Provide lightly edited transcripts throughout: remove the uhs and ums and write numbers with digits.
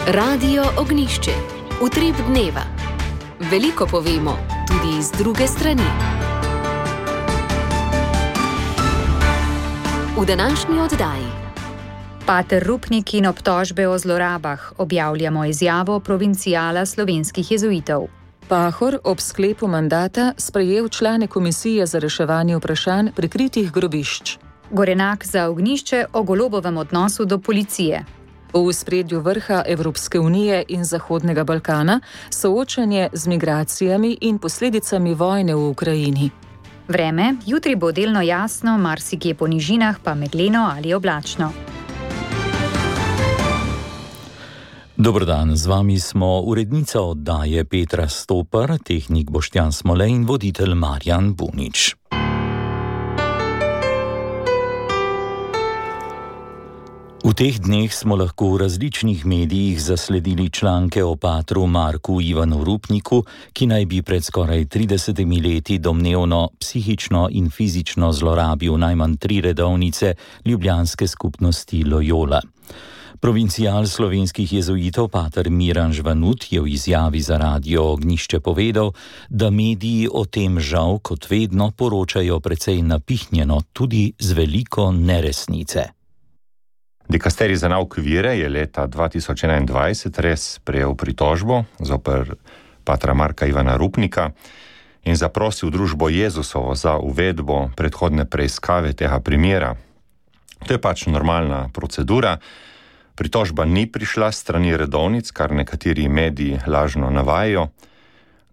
Radio Ognjišče. Utrip dneva. Veliko povemo, tudi iz druge strani. V današnji oddaji. Pater Rupnik in obtožbe o zlorabah. Objavljamo izjavo provincijala slovenskih jezuitov. Pahor ob sklepu mandata sprejel člane komisije za reševanje vprašanj prikritih grobišč. Gorenak za Ognjišče o Golobovem odnosu do policije. V ospredju vrha Evropske unije in Zahodnega Balkana soočanje z migracijami in posledicami vojne v Ukrajini. Vreme, jutri bo delno jasno, marsikje po nižinah pa megleno ali oblačno. Dober dan, z vami smo urednica oddaje Petra Stopar, tehnik Boštjan Smole in voditelj Marjan Bunič. V teh dneh smo lahko v različnih medijih zasledili članke o patru Marku Ivanu Rupniku, ki naj bi pred skoraj 30 leti domnevno psihično in fizično zlorabil najmanj 3 redovnice ljubljanske skupnosti Loyola. Provincijal slovenskih jezuitov pater Miran Žvanut je v izjavi za Radio Ognjišče povedal, da mediji o tem žal kot vedno poročajo precej napihnjeno, tudi z veliko neresnice. Dikasterij za nauk vire je leta 2021 res prejel pritožbo zoper patra Marka Ivana Rupnika in zaprosil družbo Jezusovo za uvedbo predhodne preiskave tega primera. To je pač normalna procedura. Pritožba ni prišla s strani redovnic, kar nekateri mediji lažno navajajo.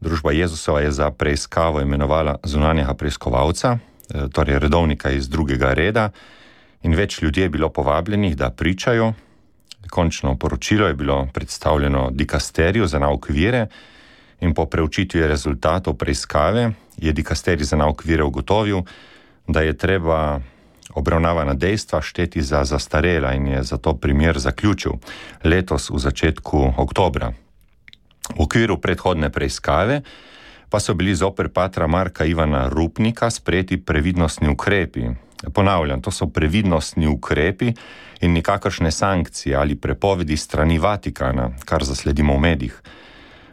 Družba Jezusova je za preiskavo imenovala zunanjega preiskovalca, torej redovnika iz drugega reda, in več ljudi je bilo povabljenih, da pričajo. Končno poročilo je bilo predstavljeno dikasteriju za nauk vire in po preučitvi rezultatov preiskave je dikasterij za nauk vire ugotovil, da je treba obravnavana dejstva šteti za zastarela in je zato primer zaključil letos v začetku oktobra. V okviru predhodne preiskave pa so bili zoper patra Marka Ivana Rupnika sprejeti previdnostni ukrepi. Ponavljam, to so previdnostni ukrepi in nikakršne sankcije ali prepovedi strani Vatikana, kar zasledimo v medijih.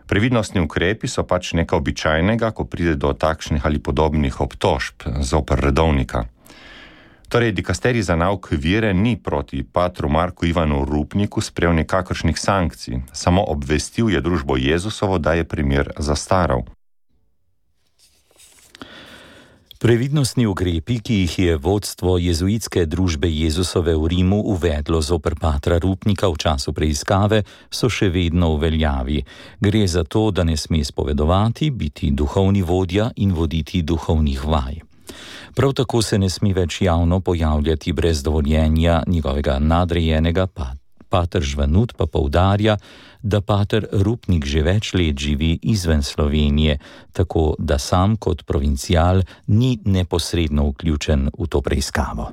Previdnostni ukrepi so pač nekaj običajnega, ko pride do takšnih ali podobnih obtožb zoper redovnika. Torej, dikasterij za nauk vire ni proti patru Marku Ivanu Rupniku sprejel nikakršnih sankcij, samo obvestil je družbo Jezusovo, da je primer zastaral. Previdnostni ukrepi, ki jih je vodstvo jezuitske družbe Jezusove v Rimu uvedlo zoper patra Rupnika v času preiskave, so še vedno v veljavi. Gre za to, da ne sme spovedovati, biti duhovni vodja in voditi duhovnih vaj. Prav tako se ne sme več javno pojavljati brez dovoljenja njegovega nadrejenega. Pater Žvanut pa poudarja, da pater Rupnik že več let živi izven Slovenije, tako da sam kot provincijal ni neposredno vključen v to preiskavo.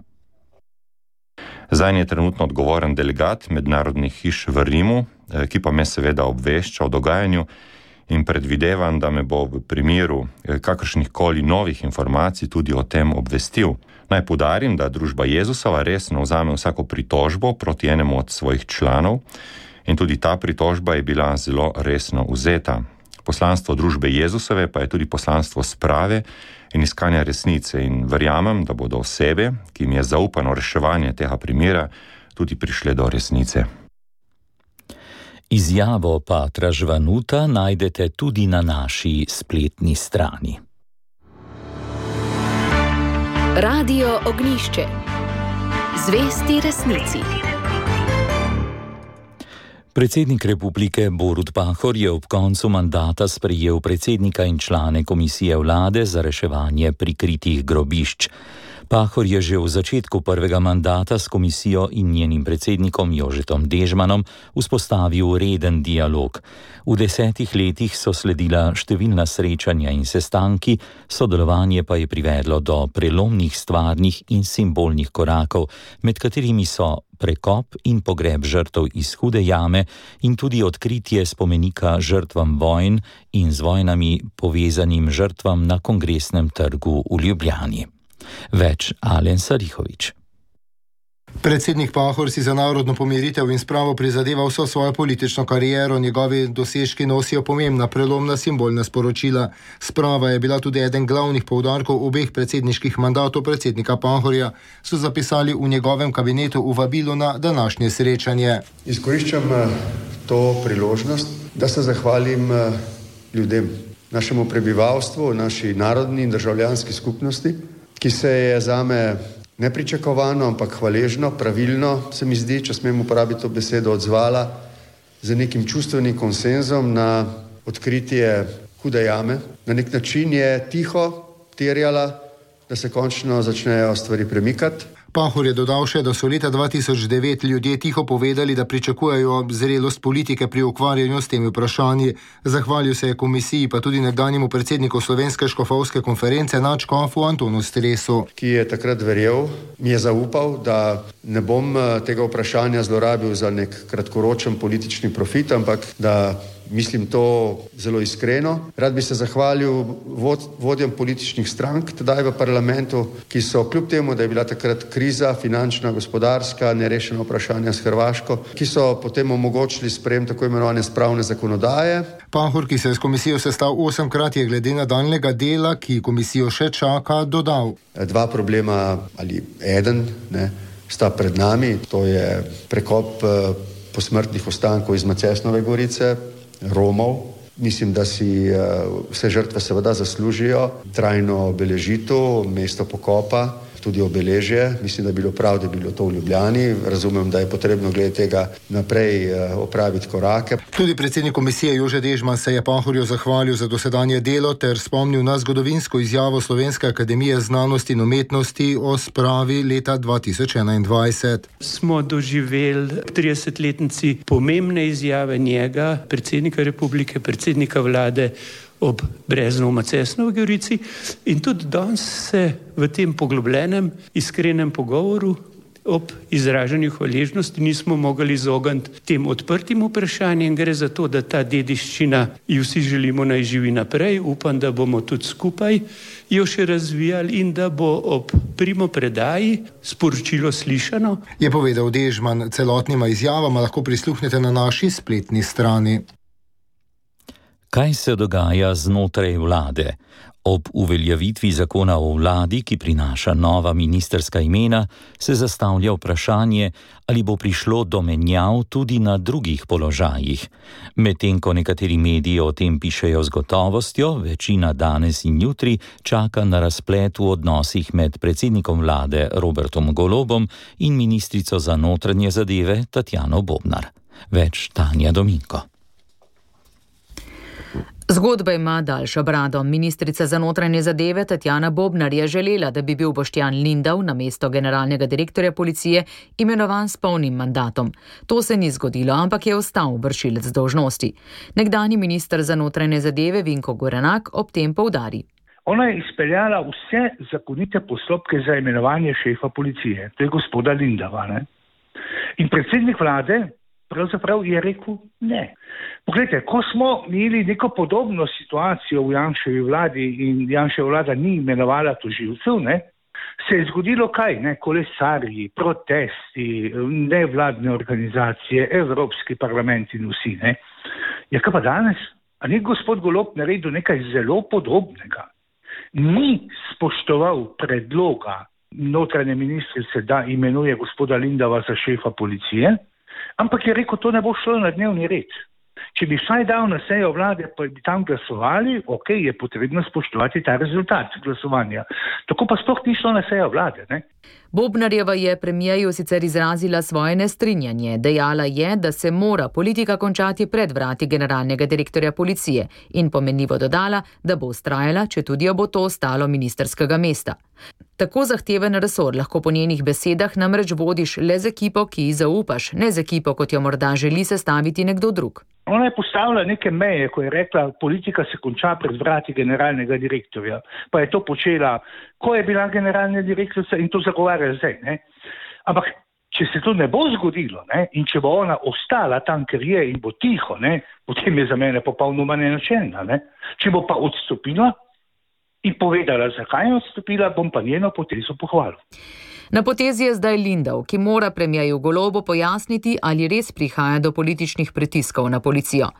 Zanj je trenutno odgovoren delegat mednarodnih hiš v Rimu, ki pa me seveda obvešča o dogajanju in predvidevam, da me bo v primeru kakršnihkoli novih informacij tudi o tem obvestil. Naj poudarim, da družba Jezusova resno vzame vsako pritožbo proti enemu od svojih članov in tudi ta pritožba je bila zelo resno vzeta. Poslanstvo družbe Jezusove pa je tudi poslanstvo sprave in iskanja resnice in verjamem, da bodo osebe, ki jim je zaupano reševanje tega primera, tudi prišle do resnice. Izjavo patra Žvanuta najdete tudi na naši spletni strani. Radio Ognjišče. Zvesti resnici. Predsednik republike Borut Pahor je ob koncu mandata sprejel predsednika in člane komisije vlade za reševanje prikritih grobišč. Pahor je že v začetku prvega mandata s komisijo in njenim predsednikom Jožetom Dežmanom vzpostavil reden dialog. V 10 letih so sledila številna srečanja in sestanki, sodelovanje pa je privedlo do prelomnih stvarnih in simbolnih korakov, med katerimi so prekop in pogreb žrtev iz Hude jame in tudi odkritje spomenika žrtvam vojn in z vojnami povezanim žrtvam na Kongresnem trgu v Ljubljani. Več Alen Sarihovič. Predsednik Pahor si za narodno pomiritev in spravo prizadeva vso svojo politično kariero, njegovi dosežki nosijo pomembna prelomna simbolna sporočila. Sprava je bila tudi eden glavnih poudarkov obeh predsedniških mandatov predsednika Pahorja, so zapisali v njegovem kabinetu v vabilu na današnje srečanje. Izkoriščam to priložnost, da se zahvalim ljudem, našemu prebivalstvu, naši narodni in državljanski skupnosti, ki se je zame nepričakovano, ampak hvaležno, pravilno, se mi zdi, če smem uporabiti to besedo, odzvala z nekim čustvenim konsenzom na odkritje hude jame. Na nek način je tiho terjala, da se končno začnejo stvari premikati. Pahor je dodal še, da so leta 2009 ljudje tiho povedali, da pričakujejo zrelost politike pri ukvarjanju s temi vprašanji. Zahvalil se je komisiji, pa tudi nekdanjemu predsedniku Slovenske škofovske konference nadškofu Antonu Stresu, ki je takrat verjel, mi je zaupal, da ne bom tega vprašanja zlorabil za nek kratkoročen politični profit, ampak da mislim to zelo iskreno. Rad bi se zahvalil vodjem političnih strank tedaj v parlamentu, ki so kljub temu, da je bila takrat kriza, finančna, gospodarska, nerešena vprašanja s Hrvaško, ki so potem omogočili sprejem tako imenovane spravne zakonodaje. Pahor, ki se je s komisijo sestal 8-krat, je glede nadaljnjega dela, ki komisijo še čaka, dodal. Dva problema ali eden sta pred nami, to je prekop posmrtnih ostankov iz Macesnove gorice, Romov. Mislim, da si vse žrtve seveda zaslužijo trajno obeležitev, mesto pokopa, tudi obeležje. Mislim, da je bilo prav, da je bilo to v Ljubljani. Razumem, da je potrebno glede tega naprej opraviti korake. Tudi predsednik komisije Jože Dežman se je Pahorju zahvalil za dosedanje delo ter spomnil na zgodovinsko izjavo Slovenske akademije znanosti in umetnosti o spravi leta 2021. Smo doživeli 30-letnici pomembne izjave njega, predsednika republike, predsednika vlade, ob Breznu v Macesnovi gorici in tudi danes se v tem poglobljenem, iskrenem pogovoru ob izražanju hvaležnosti nismo mogli izogniti tem odprtim vprašanjem. Gre za to, da ta dediščina jo vsi želimo naj živi naprej. Upam, da bomo tudi skupaj jo še razvijali in da bo ob primopredaji sporočilo slišano. Je povedal Dežman. Celotnima izjavama lahko prisluhnete na naši spletni strani. Kaj se dogaja znotraj vlade? Ob uveljavitvi zakona o vladi, ki prinaša nova ministerska imena, se zastavlja vprašanje, ali bo prišlo do menjav tudi na drugih položajih. Medtem ko nekateri mediji o tem pišejo z gotovostjo, večina danes in jutri čaka na razplet v odnosih med predsednikom vlade Robertom Golobom in ministrico za notranje zadeve Tatjano Bobnar. Več Tanja Dominko. Zgodba ima daljšo brado. Ministrica za notranje zadeve Tatjana Bobnar je želela, da bi bil Boštjan Lindav na mesto generalnega direktorja policije imenovan s polnim mandatom. To se ni zgodilo, ampak je ostal vršilec dolžnosti. Nekdanji minister za notranje zadeve Vinko Gorenak ob tem poudari. Ona je izpeljala vse zakonite postopke za imenovanje šefa policije, to je gospoda Lindava. In predsednik vlade pravzaprav je rekel ne. Poglejte, ko smo imeli neko podobno situacijo v Janševi vladi in Janševa vlada ni imenovala tožilcev, se je zgodilo kaj? Kolesarji, protesti, nevladne organizacije, Evropski parlament in vsi. Ja, kaj pa danes? A ni gospod Golob naredil nekaj zelo podobnega? Ni spoštoval predloga notranje ministrice, da imenuje gospoda Lindava za šefa policije, ampak je rekel, to ne bo šlo na dnevni red. Če bi vsaj dal na sejo vlade, pa bi tam glasovali, je potrebno spoštovati ta rezultat glasovanja. Tako pa sploh ni šlo na sejo vlade. Bobnarjeva je premijeju sicer izrazila svoje nestrinjanje. Dejala je, da se mora politika končati pred vrati generalnega direktorja policije in pomenljivo dodala, da bo vztrajala, če tudi jo bo to ostalo ministerskega mesta. Tako zahteven resor lahko po njenih besedah namreč vodiš le z ekipo, ki ji zaupaš, ne z ekipo, kot jo morda želi sestaviti nekdo drug. Ona je postavila neke meje, ko je rekla, politika se konča pred vrati generalnega direktorja. Pa je to počela, ko je bila generalna direktorica in to zagovarja zdaj. Ampak, če se to ne bo zgodilo in če bo ona ostala tam, ker je in bo tiho, potem je za mene popolnoma nenačelna. Če bo pa odstopila, in povedala, zakaj je odstopila, bom pa njeno potezo pohvalil. Na potezi je zdaj Lindav, ki mora premierju Golobu pojasniti, ali res prihaja do političnih pritiskov na policijo.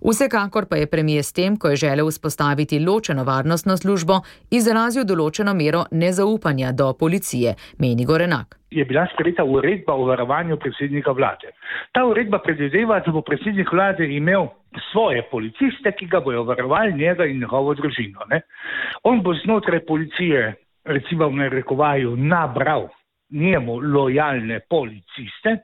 Vsekakor pa je premijer s tem, ko je želel vzpostaviti ločeno varnostno službo, izrazil določeno mero nezaupanja do policije, meni Gorenak. Je bila sprejeta uredba o varovanju predsednika vlade. Ta uredba predvideva, da bo predsednik vlade imel svoje policiste, ki ga bojo varovali, njega in njegovo družino. On bo znotraj policije, recimo v narekovaju, nabral njemu lojalne policiste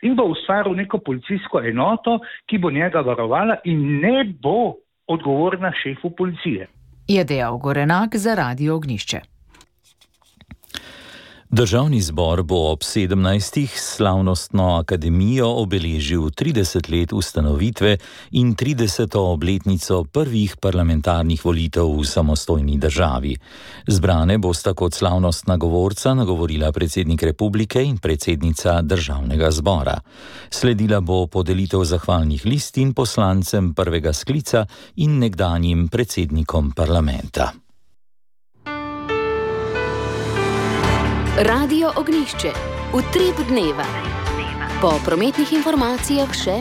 in bo ustvaril neko policijsko enoto, ki bo njega varovala in ne bo odgovorna šefu policije. Je dejal Gorenak za Radio Ognjišče. Državni zbor bo ob 17. slavnostno akademijo obeležil 30 let ustanovitve in 30. obletnico prvih parlamentarnih volitev v samostojni državi. Zbrane bosta kot slavnostna govorca nagovorila predsednik republike in predsednica državnega zbora. Sledila bo podelitev zahvalnih listin poslancem prvega sklica in nekdanjim predsednikom parlamenta. Radio Ognjišče, utrip dneva. Po prometnih informacijah še: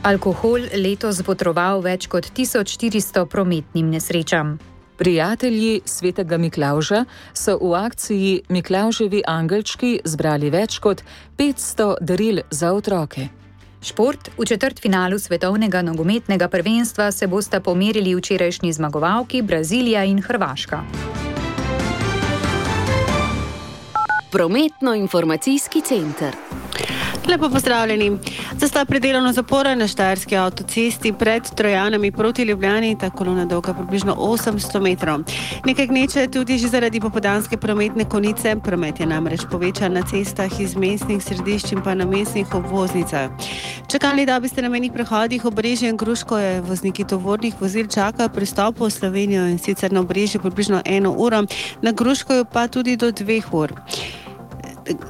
alkohol letos botroval več kot 1400 prometnim nesrečam. Prijatelji svetega Miklavža so v akciji Miklavževi angelčki zbrali več kot 500 daril za otroke. Šport. V četrtfinalu svetovnega nogometnega prvenstva se bosta pomerili včerajšnji zmagovalki Brazilija in Hrvaška. Prometno-informacijski center. Lepo pozdravljeni. Zastoj pred delovno zaporo na štajerski avtocesti pred Trojanami proti Ljubljani, ta kolona dolga približno 800 metrov. Nekaj gneče tudi že zaradi popoldanske prometne konice. Promet je namreč povečan na cestah iz mestnih središč in pa na mestnih obvoznicah. Čakalni dobi sta na mejnih prehodih Obrežje in Gruško je vozniki tovornih vozil čakajo pri vstopu v Slovenijo, in sicer na Obrežju približno 1 uro, na Gruškoju pa tudi do 2 ur.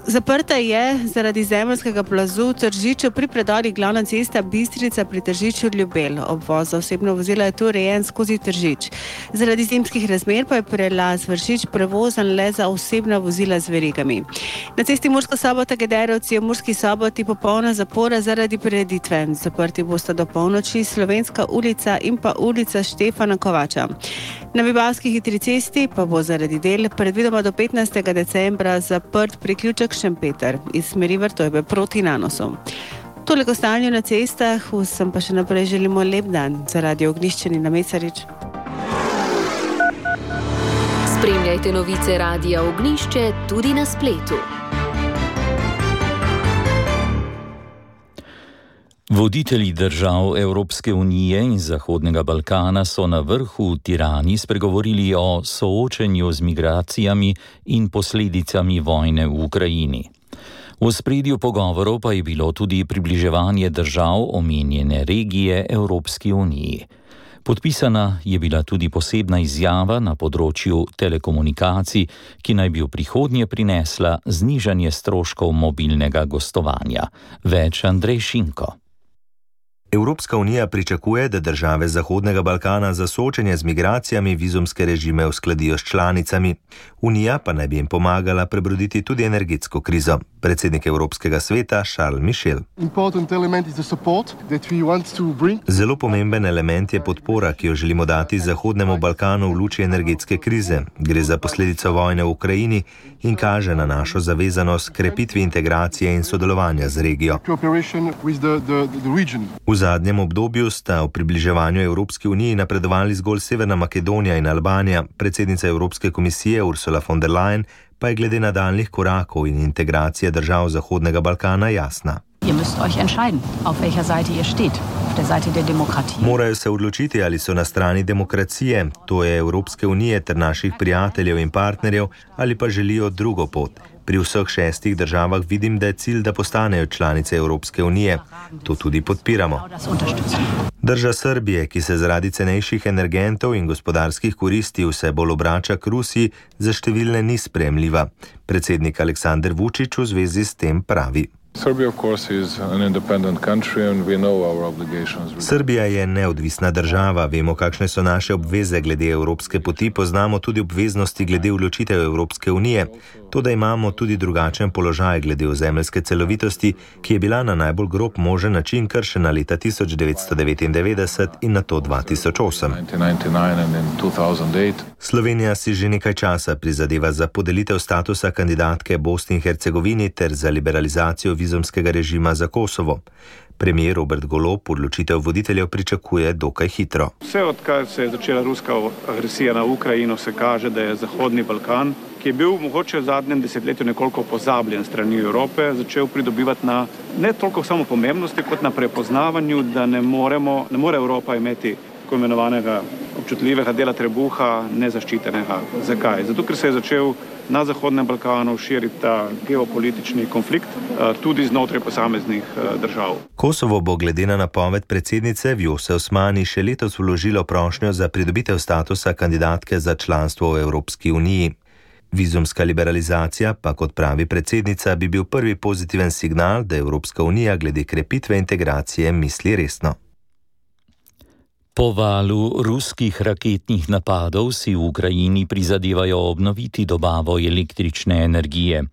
Zaprta je zaradi zemeljskega plazu v Tržiču pri predorih glavna cesta Bistrica pri Tržiču Ljubelj. Obvoz za osebno vozilo je tu urejen skozi Tržič. Zaradi zimskih razmer pa je prelaz Vršič prevozan le za osebna vozila z verigami. Na cesti Murska Sobota-Gederovci je v Murski Soboti popolna zapora zaradi prireditve. Zaprti bosta do polnoči Slovenska ulica in pa ulica Štefana Kovača. Na Vipavski hitri cesti pa bo zaradi del predvidoma do 15. decembra zaprt priključek Šempeter iz smeri Vrtojbe proti Nanosu. Toliko stanju na cestah, vsem pa še naprej želimo lep dan. Za Radio Ognjišče Nina Mesarič. Spremljajte novice Radia Ognjišče tudi na spletu. Voditelji držav Evropske unije in Zahodnega Balkana so na vrhu v Tirani spregovorili o soočenju z migracijami in posledicami vojne v Ukrajini. V ospredju pogovorov pa je bilo tudi približevanje držav omenjene regije Evropski uniji. Podpisana je bila tudi posebna izjava na področju telekomunikacij, ki naj bi v prihodnje prinesla znižanje stroškov mobilnega gostovanja. Več Andrej Šinko. Evropska unija pričakuje, da države Zahodnega Balkana za soočenje z migracijami vizumske režime uskladijo s članicami. Unija pa naj bi jim pomagala prebroditi tudi energetsko krizo. Predsednik Evropskega sveta Charles Michel. Zelo pomemben element je podpora, ki jo želimo dati Zahodnemu Balkanu v luči energetske krize. Gre za posledico vojne v Ukrajini in kaže na našo zavezanost krepitvi integracije in sodelovanja z regijo. V zadnjem obdobju sta v približevanju Evropski uniji napredovali zgolj Severna Makedonija in Albanija. Predsednica Evropske komisije Ursula von der Leyen pa je glede nadaljnjih korakov in integracije držav Zahodnega Balkana jasna. Morajo se odločiti, ali so na strani demokracije, to je Evropske unije ter naših prijateljev in partnerjev, ali pa želijo drugo pot. Pri vseh 6 državah vidim, da je cilj, da postanejo članice Evropske unije. To tudi podpiramo. Drža Srbije, ki se zaradi cenejših energentov in gospodarskih koristi vse bolj obrača k Rusiji, za številne ni sprejemljiva. Predsednik Aleksandar Vučić v zvezi s tem pravi. Srbija je neodvisna država, vemo, kakšne so naše obveze glede evropske poti, poznamo tudi obveznosti glede vključitev Evropske unije. To, da imamo tudi drugačen položaj glede ozemeljske celovitosti, ki je bila na najbolj grob možen način kršena leta 1999 in nato 2008. Slovenija si že nekaj časa prizadeva za podelitev statusa kandidatke Bosni in Hercegovini ter za liberalizacijo vizumskega režima za Kosovo. Premijer Robert Golob odločitev voditeljev pričakuje dokaj hitro. Vse odkar se je začela ruska agresija na Ukrajino, se kaže, da je Zahodni Balkan, ki je bil mogoče v zadnjem desetletju nekoliko pozabljen strani Evrope, začel pridobivati na ne toliko samo pomembnosti, kot na prepoznavanju, da ne more Evropa imeti tako imenovanega občutljivega dela trebuha nezaščitenega. Zakaj? Zato, ker se je začel na Zahodnem Balkanu širiti ta geopolitični konflikt tudi znotraj posameznih držav. Kosovo bo glede na napoved predsednice Vjose Osmani še letos vložilo prošnjo za pridobitev statusa kandidatke za članstvo v Evropski uniji. Vizumska liberalizacija pa, kot pravi predsednica, bi bil prvi pozitiven signal, da Evropska unija glede krepitve integracije misli resno. Po valu ruskih raketnih napadov si v Ukrajini prizadevajo obnoviti dobavo električne energije.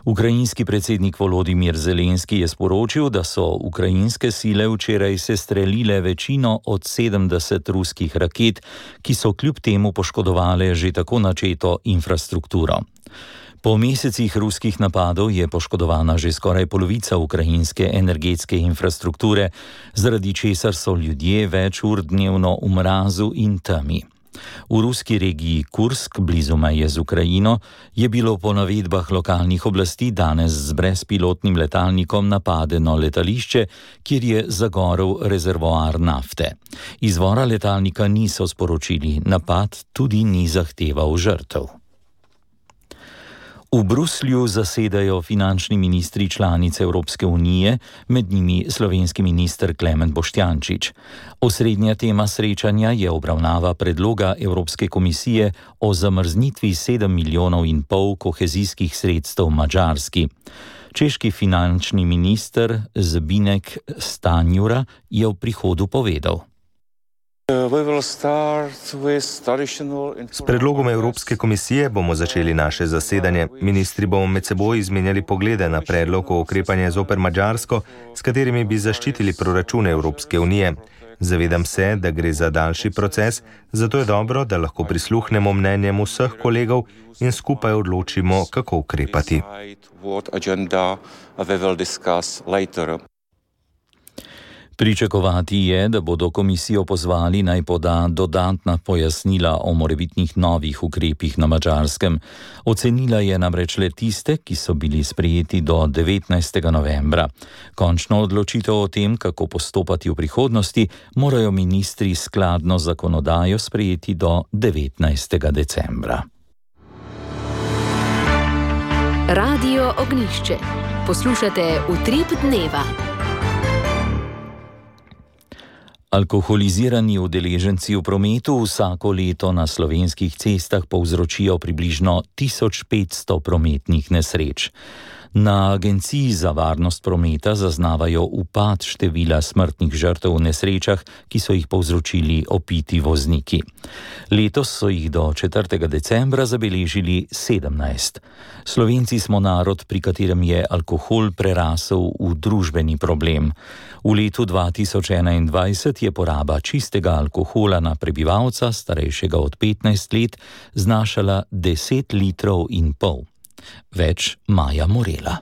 Ukrajinski predsednik Volodimir Zelenski je sporočil, da so ukrajinske sile včeraj sestrelile večino od 70 ruskih raket, ki so kljub temu poškodovale že tako načeto infrastrukturo. Po mesecih ruskih napadov je poškodovana že skoraj polovica ukrajinske energetske infrastrukture, zaradi česar so ljudje več ur dnevno v mrazu in temi. V ruski regiji Kursk, blizu meje z Ukrajino, je bilo po navedbah lokalnih oblasti danes z brezpilotnim letalnikom napadeno letališče, kjer je zagorel rezervoar nafte. Izvora letalnika niso sporočili, napad tudi ni zahteval žrtev. V Bruslju zasedajo finančni ministri članic Evropske unije, med njimi slovenski minister Klemen Boštjančič. Osrednja tema srečanja je obravnava predloga Evropske komisije o zamrznitvi 7,5 milijonov kohezijskih sredstev Madžarski. Češki finančni minister Zbinek Stanjura je v prihodu povedal: S predlogom Evropske komisije bomo začeli naše zasedanje. Ministri bomo med seboj izmenjali poglede na predlog o ukrepanju zoper Madžarsko, s katerimi bi zaščitili proračune Evropske unije. Zavedam se, da gre za daljši proces, zato je dobro, da lahko prisluhnemo mnenjem vseh kolegov in skupaj odločimo, kako ukrepati. Pričakovati je, da bodo komisijo pozvali naj poda dodatna pojasnila o morebitnih novih ukrepih na Madžarskem. Ocenila je namreč le tiste, ki so bili sprejeti do 19. novembra. Končno odločitev o tem, kako postopati v prihodnosti, morajo ministri skladno z zakonodajo sprejeti do 19. decembra. Radio Ognjišče. Poslušate Utrip dneva. Alkoholizirani udeleženci v prometu vsako leto na slovenskih cestah povzročijo približno 1500 prometnih nesreč. Na Agenciji za varnost prometa zaznavajo upad števila smrtnih žrtev v nesrečah, ki so jih povzročili opiti vozniki. Letos so jih do 4. decembra zabeležili 17. Slovenci smo narod, pri katerem je alkohol prerasel v družbeni problem. V letu 2021 je poraba čistega alkohola na prebivalca, starejšega od 15 let, znašala 10,5 litrov. Več Maja Morela.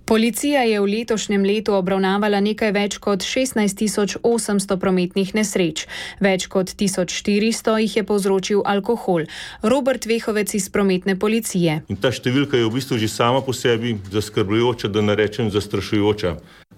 Policija je v letošnjem letu obravnavala nekaj več kot 16.800 prometnih nesreč. Več kot 1400 jih je povzročil alkohol. Robert Vehovec iz prometne policije. In ta številka je v bistvu že sama po sebi zaskrbljujoča, da ne rečem zastrašujoča,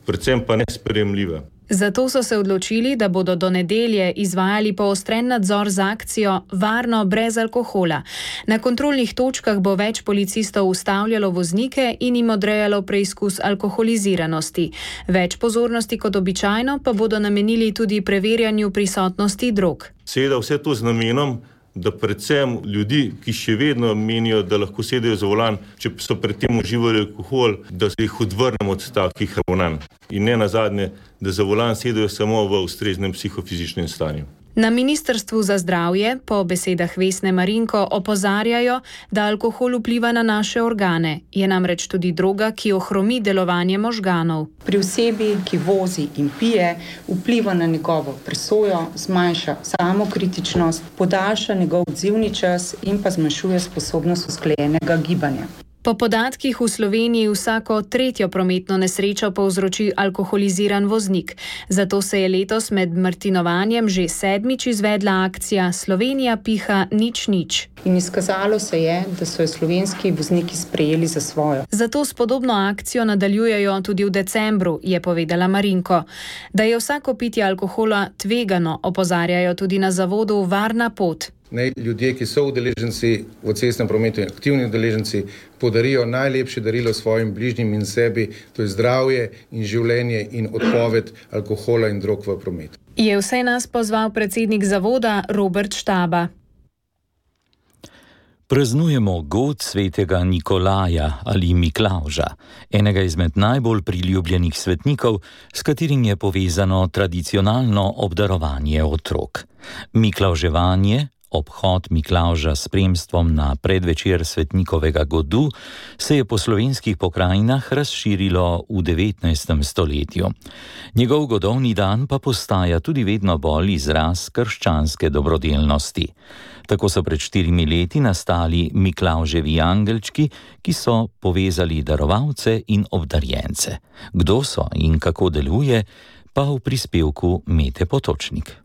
predvsem pa nesprejemljiva. Zato so se odločili, da bodo do nedelje izvajali poostren nadzor z akcijo Varno brez alkohola. Na kontrolnih točkah bo več policistov ustavljalo voznike in jim odrejalo preizkus alkoholiziranosti. Več pozornosti kot običajno pa bodo namenili tudi preverjanju prisotnosti drog. Seveda vse to z namenom, da predvsem ljudi, ki še vedno menijo, da lahko sedejo za volan, če so predtem uživali alkohol, da se jih odvrnemo od takih ravnanj. In ne nazadnje, da za volan sedejo samo v ustreznem psihofizičnem stanju. Na Ministrstvu za zdravje po besedah Vesne Marinko opozarjajo, da alkohol vpliva na naše organe. Je namreč tudi droga, ki ohromi delovanje možganov. Pri osebi, ki vozi in pije, vpliva na njegovo presojo, zmanjša samokritičnost, podaljša njegov odzivni čas in pa zmanjšuje sposobnost usklajenega gibanja. Po podatkih v Sloveniji vsako tretjo prometno nesrečo povzroči alkoholiziran voznik. Zato se je letos med martinovanjem že 7. izvedla akcija Slovenija piha nič nič. In izkazalo se je, da so jo slovenski vozniki sprejeli za svojo. Zato s podobno akcijo nadaljujejo tudi v decembru, je povedala Marinko. Da je vsako pitje alkohola tvegano, opozarjajo tudi na zavodu Varna pot. Naj ljudje, ki so udeleženci v cestnem prometu in aktivni udeleženci, podarijo najlepše darilo svojim bližnjim in sebi, to je zdravje in življenje in odpoved alkohola in drog v prometu. Je vse nas pozval predsednik zavoda Robert Štaba. Praznujemo god svetega Nikolaja ali Miklavža, enega izmed najbolj priljubljenih svetnikov, s katerim je povezano tradicionalno obdarovanje otrok. Miklavževanje, obhod Miklavža s spremstvom na predvečer svetnikovega godu, se je po slovenskih pokrajinah razširilo v 19. stoletju. Njegov godovni dan pa postaja tudi vedno bolj izraz krščanske dobrodelnosti. Tako so pred 4 leti nastali Miklavževi angelčki, ki so povezali darovalce in obdarjence. Kdo so in kako deluje, pa v prispevku Mete Potočnik.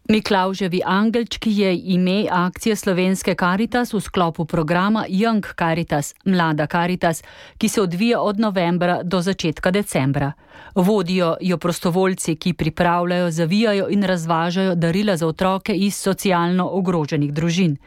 Miklavževi angelčki je ime akcije Slovenske Karitas v sklopu programa Young Caritas, Mlada Karitas, ki se odvija od novembra do začetka decembra. Vodijo jo prostovoljci, ki pripravljajo, zavijajo in razvažajo darila za otroke iz socialno ogroženih družin.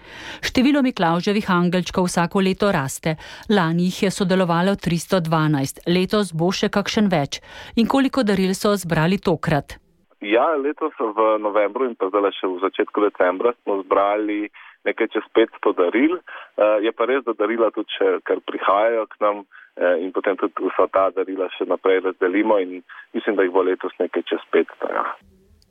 Število Miklavževih angelčkov vsako leto raste. Lani jih je sodelovalo 312, letos bo še kakšen več. In koliko daril so zbrali tokrat? Ja, letos v novembru in pa zdaj še v začetku decembra smo zbrali nekaj čez 500 daril. Je pa res, da darila tudi še kar prihajajo k nam in potem tudi vsa ta darila še naprej razdelimo in mislim, da jih bo letos nekaj čez 500. Ja.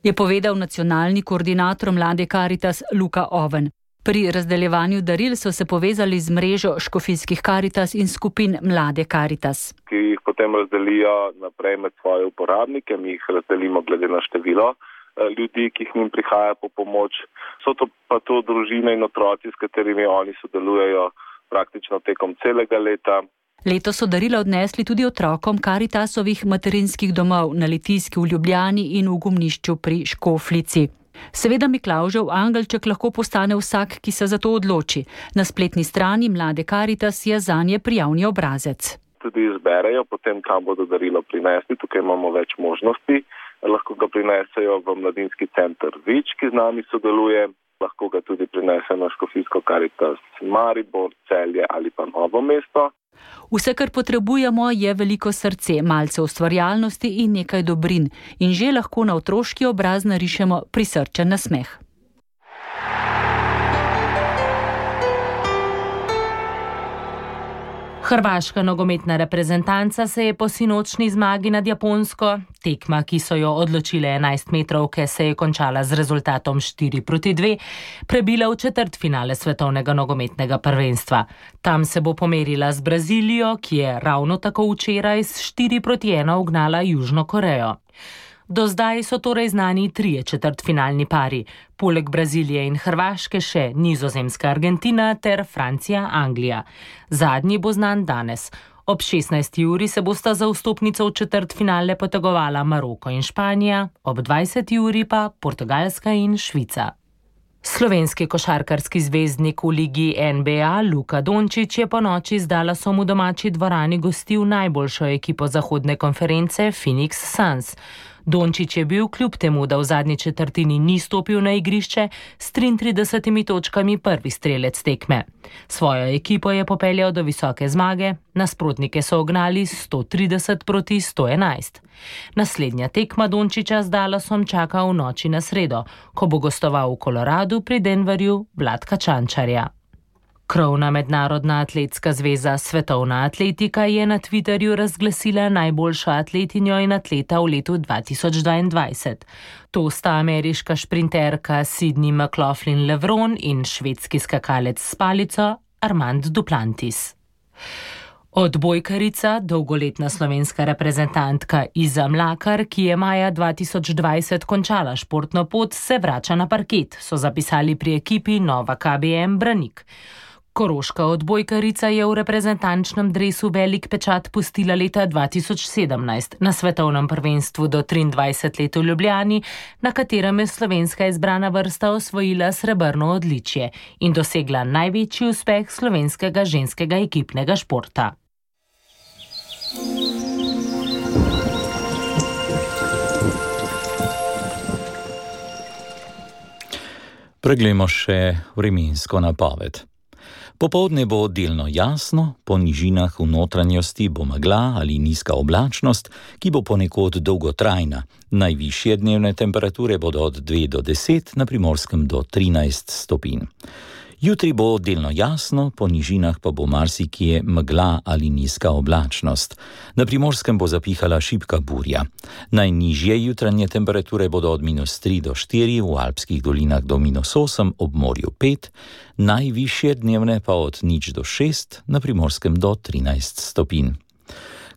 Je povedal nacionalni koordinator Mlade Karitas Luka Oven. Pri razdeljevanju daril so se povezali z mrežo škofijskih Karitas in skupin Mlade Karitas. Ki jih potem razdelijo naprej med svoje uporabnike, mi jih razdelimo glede na število ljudi, ki jih njim prihaja po pomoč. So to pa to družine in otroci, s katerimi oni sodelujejo praktično tekom celega leta. Letos so darila odnesli tudi otrokom Karitasovih materinskih domov na Litijski v Ljubljani in v Gumnišču pri Škoflici. Seveda Miklavžev angelček lahko postane vsak, ki se za to odloči. Na spletni strani Mlade Karitas je zanje prijavni obrazec. Tudi izberejo potem, kam bodo darilo prinesli. Tukaj imamo več možnosti. Lahko ga prinesejo v mladinski center Vič, ki z nami sodeluje. Lahko ga tudi prinesejo na Škofijsko Karitas Maribor, Celje ali pa Novo mesto. Vse, kar potrebujemo, je veliko srce, malce ustvarjalnosti in nekaj dobrin. In že lahko na otroški obraz narišemo prisrčen nasmeh. Hrvaška nogometna reprezentanca se je po sinočni zmagi nad Japonsko, tekma, ki so jo odločile 11-metrovke, se je končala z rezultatom 4-2, prebila v četrtfinale svetovnega nogometnega prvenstva. Tam se bo pomerila z Brazilijo, ki je ravno tako včeraj s 4-1 ugnala Južno Korejo. Do zdaj so torej znani 3 četrtfinalni pari, poleg Brazilije in Hrvaške še Nizozemska, Argentina ter Francija, Anglija. Zadnji bo znan danes. Ob 16. uri se bosta za vstopnico v četrtfinale potegovala Maroko in Španija, ob 20. uri pa Portugalska in Švica. Slovenski košarkarski zvezdnik v ligi NBA Luka Dončić je ponoči z Dallasom v domači dvorani gostil najboljšo ekipo zahodne konference Phoenix Suns. Dončić je bil, kljub temu, da v zadnji četrtini ni stopil na igrišče, s 33 točkami prvi strelec tekme. Svojo ekipo je popeljal do visoke zmage, nasprotnike so ognali 130 proti 111. Naslednja tekma Dončića z Dallasom čaka v noči na sredo, ko bo gostoval v Koloradu pri Denverju Vladka Čančarja. Krovna mednarodna atletska zveza Svetovna atletika je na Twitterju razglasila najboljšo atletinjo in atleta v letu 2022. To sta ameriška šprinterka Sydney McLaughlin-Levron in švedski skakalec s palico Armand Duplantis. Odbojkarica, dolgoletna slovenska reprezentantka Iza Mlakar, ki je maja 2020 končala športno pot, se vrača na parket, so zapisali pri ekipi Nova KBM Branik. Koroška odbojkarica je v reprezentančnem dresu velik pečat pustila leta 2017 na svetovnem prvenstvu do 23 let v Ljubljani, na katerem je slovenska izbrana vrsta osvojila srebrno odličje in dosegla največji uspeh slovenskega ženskega ekipnega športa. Preglejmo še vremensko napoved. Popoldne bo delno jasno, po nižinah v notranjosti bo megla ali nizka oblačnost, ki bo ponekod dolgotrajna. Najvišje dnevne temperature bodo od 2 do 10, na Primorskem do 13 stopinj. Jutri bo delno jasno, po nižinah pa bo marsikje megla ali nizka oblačnost. Na Primorskem bo zapihala šibka burja. Najnižje jutranje temperature bodo od -3 do 4, v alpskih dolinah do -8, ob morju 5, najvišje dnevne pa od 0 do 6, na Primorskem do 13 stopinj.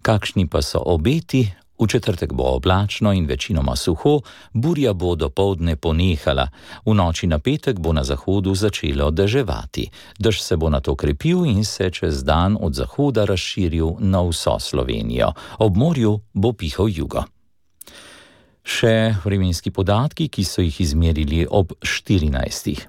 Kakšni pa so obeti? V četrtek bo oblačno in večinoma suho, burja bo dopoldne ponehala. V noči na petek bo na zahodu začelo deževati. Dež se bo nato krepil in se čez dan od zahoda razširil na vso Slovenijo. Ob morju bo pihal jugo. Še vremenski podatki, ki so jih izmerili ob 14.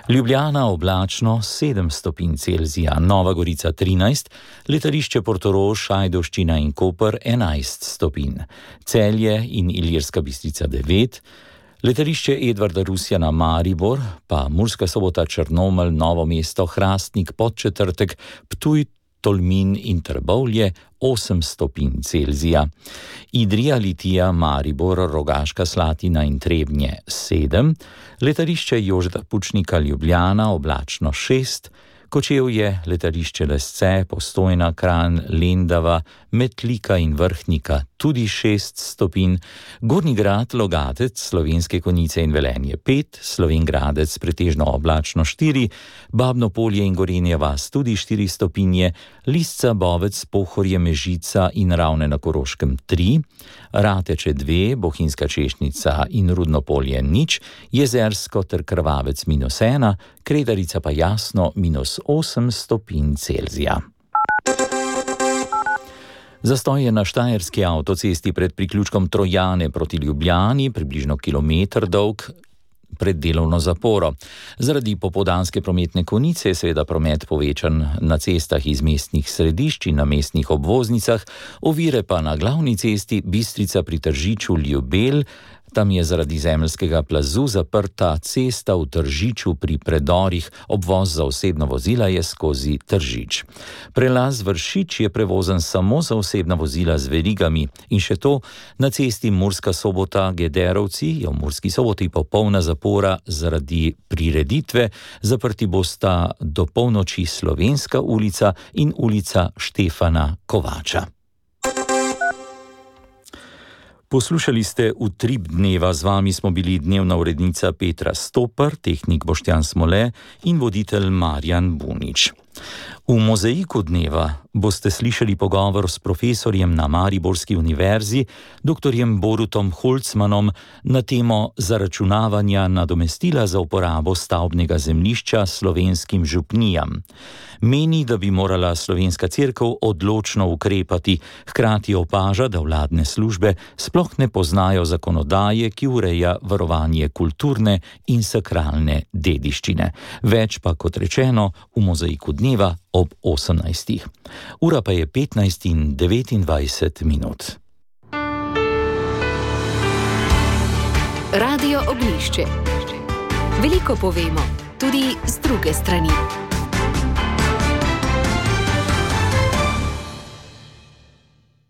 Ljubljana oblačno 7 stopinj Celzija, Nova Gorica 13, letališče Portorož, Ajdovščina in Koper 11 stopinj, Celje in Ilirska Bistrica 9, letališče Edvarda Rusjana Maribor, pa Murska Sobota, Črnomelj, Novo mesto, Hrastnik, Podčetrtek, Ptuj, Tolmin in Trbovlje 8 stopinj Celzija, Idrija, Litija, Maribor, Rogaška Slatina in Trebnje 7, letališče Jožeta Pučnika Ljubljana oblačno 6, Kočevje, letališče Lesce, Postojna, Kranj, Lendava, Metlika in Vrhnika tudi 6 stopinj, Gornji Grad, Logatec, Slovenske Konjice in Velenje 5, Slovenjgradec pretežno oblačno 4, Babno Polje in Gorenja vas tudi 4 stopinje, Lisca, Bovec, Pohorje, Mežica in Ravne na Koroškem 3, Rateče 2, Bohinjska Češnica in Rudno Polje 0, Jezersko ter Krvavec -1, Kredarica pa jasno -8 stopinj Celzija. Zastoj je na štajerski avtocesti pred priključkom Trojane proti Ljubljani, približno kilometer dolg, pred delovno zaporo. Zaradi popoldanske prometne konice je seveda promet povečan na cestah iz mestnih središč in na mestnih obvoznicah, ovire pa na glavni cesti Bistrica pri Tržiču Ljubelj. Tam je zaradi zemeljskega plazu zaprta cesta v Tržiču pri predorih, obvoz za osebna vozila je skozi Tržič. Prelaz Vršič je prevozen samo za osebna vozila z verigami in še to, na cesti Murska Sobota Gederovci je v Murski Soboti popolna zapora zaradi prireditve, zaprti bosta do polnoči Slovenska ulica in ulica Štefana Kovača. Poslušali ste Utrip dneva, z vami smo bili dnevna urednica Petra Stopar, tehnik Boštjan Smole in voditelj Marjan Bunič. V mozaiku dneva boste slišali pogovor s profesorjem na Mariborski univerzi, dr. Borutom Holcmanom, na temo zaračunavanja nadomestila za uporabo stavbnega zemljišča slovenskim župnijam. Meni, da bi morala slovenska cerkev odločno ukrepati, hkrati opaža, da vladne službe sploh ne poznajo zakonodaje, ki ureja varovanje kulturne in sakralne dediščine. Več pa, kot rečeno, v mozaiku dneva ob 18. Ura pa je 15:29. Radio Oglišče. Veliko povemo, tudi z druge strani.